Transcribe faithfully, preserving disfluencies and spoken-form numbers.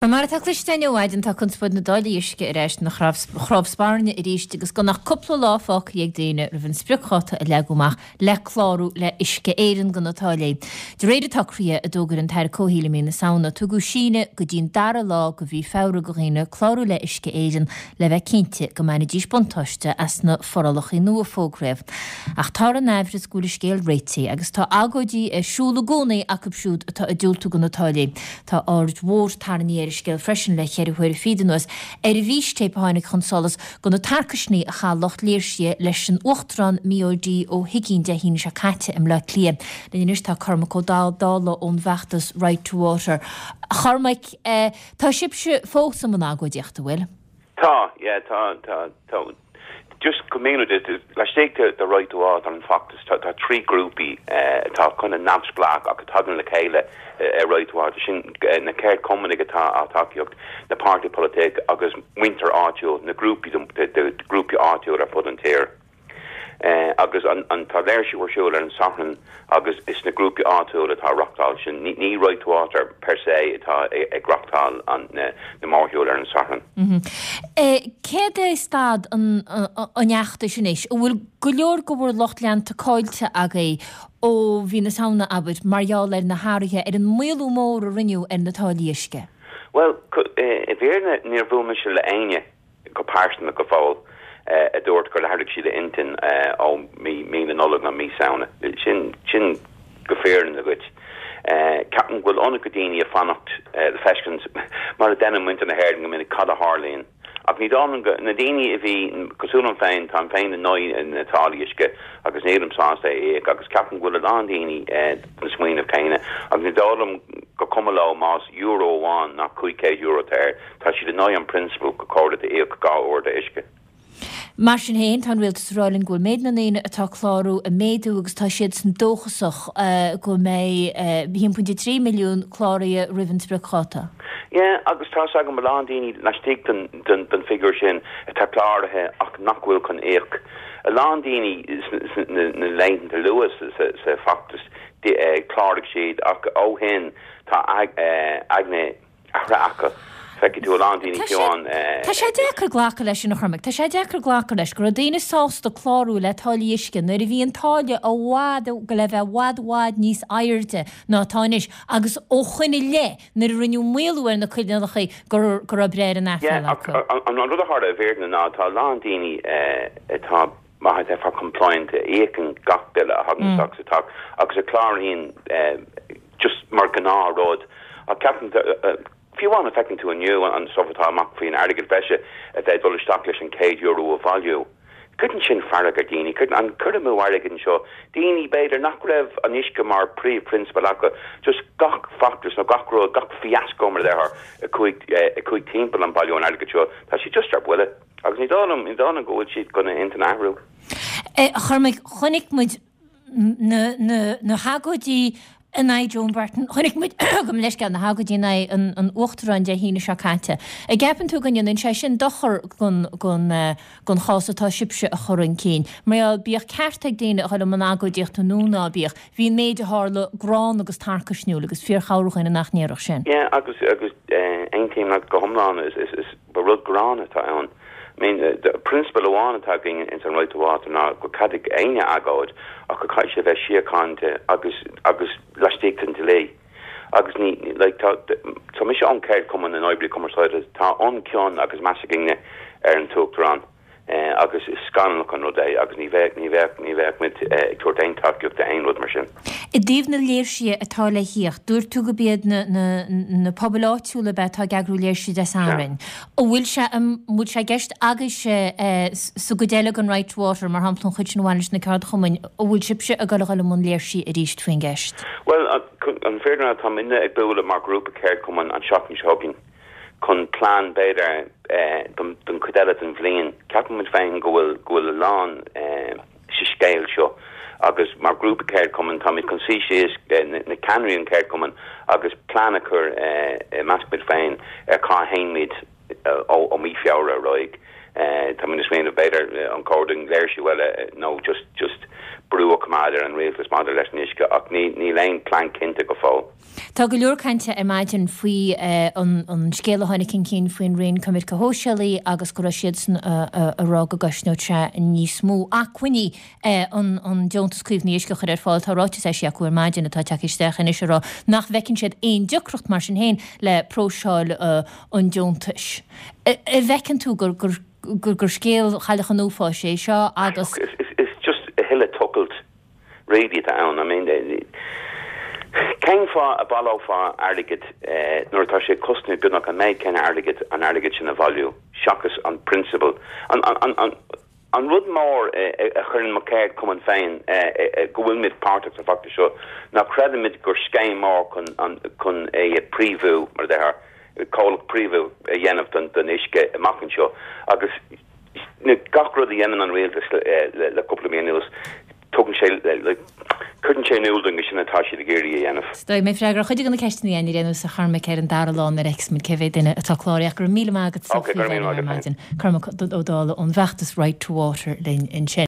Mar atá cloiste againn ó mhaidin tá conspóid na dtáillí uisce ar ais ina chnámh spairne arís agus gan ach cúpla lá fágtha ag daoine roimh an spriocdháta a leagadh amach le clárú le Uisce Éireann do na táillí. De réir an tsocraithe a d'fhógair an tAire Comhshaoil i mí na Samhna, tugadh síneadh go dtí'n dara lá de mhí Feabhra do dhaoine clárú le Uisce Éireann le bheith cinnte go mbainfidís buntáiste as na forálacha nua a fógraíodh. Ach tá an aimhreas go bhfuil an scéal réitithe agus tá agóidí ar siúl i gcónaí acu siúd atá ag diúltú do na táillí. Tá aird mhór tarraingthe ar an scéal freisin le ceithre huaire fichead anuas ar an bhfístéip a tháinig chun solais de na tarcaisní a chaith lucht léirsithe leis an Uachtarán Mícheál D. Ó hUigínn Dé hAoine seo caite i mBleá Cliath. Linn anois tá Cormac Ó Dálaigh ón bhfeachtas Right to Water. A Chormaic, eh, tá sibhse fós i mbun agóidíochta, bhfuil? Tá, yeah, tá, tá, tá. Just go míniú laistigh de de Right to Water an feachtas tá tá trí grúpaí atá chun neamhspleách ach tagann le chéile ar Right to Water sin na ceardchumainn atá á tacaíocht na páirtithe polaitíochta agus muintir áitiúil na grúpaí de grúpaí áitiúil ar fud an tír. Uh, agus an, an tá léirsiú ar siúl ar an Satharn agus is na grúpaí áitiúil atá reáchtáil sin ní, ní Right to Water per se atá ag reáchtáil an na, na mórshiúil ar an Satharn. Mm -hmm. e, Céard é staid an, an fheachtais anois, an bhfuil go leor de bhur lucht leanta caillte agaibh ó mhí na Samhna abair mar gheall ar na hathruithe ar an maolú mór a rinneadh ar na táillí uisce. Well i bhfírinne níor bhuail mise le éinne go pearsanta go fóill. a dúirt gur athraigh siad a intinn ó mí mí na Nollag nó mí Samhna. Sin sin go fírinneach duit. Ceapaim go bhfuil ionad daoine ag fanacht le feiscint mar a deineann muintir na hÉireann go minic cad a tharlaíonn. Ach ní dóigh go na daoine a bhí cosúil liom féin tá féin in aghaidh na táillí uisce agus nílim sásta é agus ceapaim go bhfuil a lán daoine na smaoineamh céanna agus ní dóigh liom gur cuma leo más euro amháin ná cúig chéad euro air tá siad in aghaidh an prionsabal gur chóir duit íoc dhá uair d'uisce. Mar sin féin tá an rialtas ag rá linn go bhfuil méid na ndaoine atá ag clárú ag méadú agus tá siad san dóchasach go mbeidh haon pointe trí milliún cláraithe roimh an spriocdháta. Yeah, agus tá agam a lán daoine laistigh den den den figiúr sin atá cláraithe ach nach bhfuil chun íoc. A lán daoine na laethanta luath sa sa feachtas chláraigh siad ach ó shin tá aigne athraithe acu. Feicfidh tú a lán daoine fiúin. Tá sé deacair glacadh leis sin a Chormaic, Tá sé deacair glacadh leis go raibh daoine sásta clárú le táillí uisce nuair a bhí an táille i bhfad go le bheith i bhfad i bhfad níos airde ná atá anois agus ó shin i leith nuair a rinneadh maolú ar na coinníollacha go raibh breith ar an aiféala acu. An rud a tharla i bhfírinne ná tá a lán daoine atá maith atá compliant a íocann gach bille a thagann isteach sa teach agus a chláraíonn just mar ghnáthrud ach ceapaim fiú amháin a feiceann tú inniu an stuff atá amach faoin airgead breise a bheith dul isteach leis an céad euro a bhailiú. Cuireann sin fearg ar daoine, cuireann an cur amú airgid seo daoine b'fhéidir nach raibh an uisce mar príomhphrionsabal acu, just gach feachtas nó gach rud gach fiasco mar a déarfá a chuaigh timpeall an bailiú an airgid seo, tá siad just ar buile. Agus ní dóigh liom ní dóigh liom go bhfuil siad chun a intinn a athrú. Chormaic chonaic muid na na na hagóidí in aghaidh Joan Burton, chonaic muid gabh mo leithscéal na hagóidí in aghaidh an an Uachtaráin Dé hAoine seo caite. An gceapann tú go ndéanann sé sin dochar don don don chás atá sibhse a chur chun cinn. Mar gheall bíodh ceart ag daoine a dhul i mbun agóidíochta nó ná bíodh, bhí an méid a tharla gránna agus tarcaisniúil agus fíorchabhair dhaoine nach ndéarfadh sin. Yeah, agus agus aontaím leat go hiomlán is is is ba rud gránna atá ann. I mean, the prionsabal amháin atá againn in san Right to Water ná gur ceadmhach aon agóid ach go caithfidh sé bheith síochánta agus agus laistigh den dlí. Agus ní like, tá tá mise ón ceardchumann na n-oibrithe cumarsáide tá an-chion agus meas againne ar an tUachtarán. Eh, agus is scannalach an rud é agus ní bheadh ní bheadh ní bheadh muid ag tabhairt aon tacaíocht d'aon rud mar sin. I dtaobh na léirsithe atá le theacht, dúirt tú gurb iad na, na, na pobail áitiúla ab ea atá ag eagrú léirsithe Dé Sathairn. An bhfuil sé an bhfuil sé i gceist agaibhse eh, sa gcuid eile den Right to Water, mar shampla an chuid sin a bhaineann leis na ceardchumainn, an bhfuil sibhse ag dul a dhul i mbun léirsithe arís faoin gceist? Well, an fírinne tá muidne ag bualadh mar grúpa ceardchumann an seachtain seo chugainn chun plean b'fhéidir don don chuid eile den bhliain. Ceapaim muid féin go bhfuil go bhfuil a lán sa scéal seo agus mar grúpa ceardchumann táimid chun suí síos na, na ceannairí an ceardchumann agus plean a chur i measc muid féin ar cá théimid ó, ó mí Feabhra ar aghaidh. Tá muid ag smaoineamh b'fhéidir an cóir dúinn léirsiú eile nó just just brú a choimeád ar an rialtas maidir leis an uisce ach ní níl aon plean cinnte go fóill. Tá go leor cainte ar maidin faoi an an scéal a tháinig chun cinn faoin Roinn Coimirce Shóisialaí agus go raibh siadsan a rá go gcosnódh sé níos mó acmhainní an an deontas caomhnaithe uisce a chur ar fáil. Tá ráiteas eisithe acu ar maidin atá tagtha isteach anois a rá nach bhfeiceann siad aon deacracht mar sin féin le próiseáil an deontais. An bhfeiceann tú gur gur gur gur scéal Chailleach an Uafáis é seo agus. Is is just a thuilleadh tochailt really atá ann. I mean cén fáth a bhaileofá airgead nuair atá sé cosnú beagnach an méid céanna airgid an airgead sin a bhailiú seachas an prionsabal an an an an rud mór a chuireann mo cheardchumann féin go bhfuilmid páirteach sa bhfeachtas seo ná creidimid gur scéim mór chun an chun é a phríomhú mar a déarfá comhlacht príomhú a dhéanamh don don uisce amach anseo agus gach rud a dhéanann an rialtas le le cúpla mí anuas tugann sé cuireann sé in iúl dúinn sin atá siad ag iarraidh a dhéanamh. Is dóigh mé freagra chuid de na ceisteanna a dhéanamh sa Chormac ar an dara lá nuair a fheicfimid cé mhéad duine atá cláraithe ach go raibh míle maith agat Ok, go raibh míle maith agat féin. Cormac Ó Dálaigh ón bhfeachtas Right to Water linn ansin.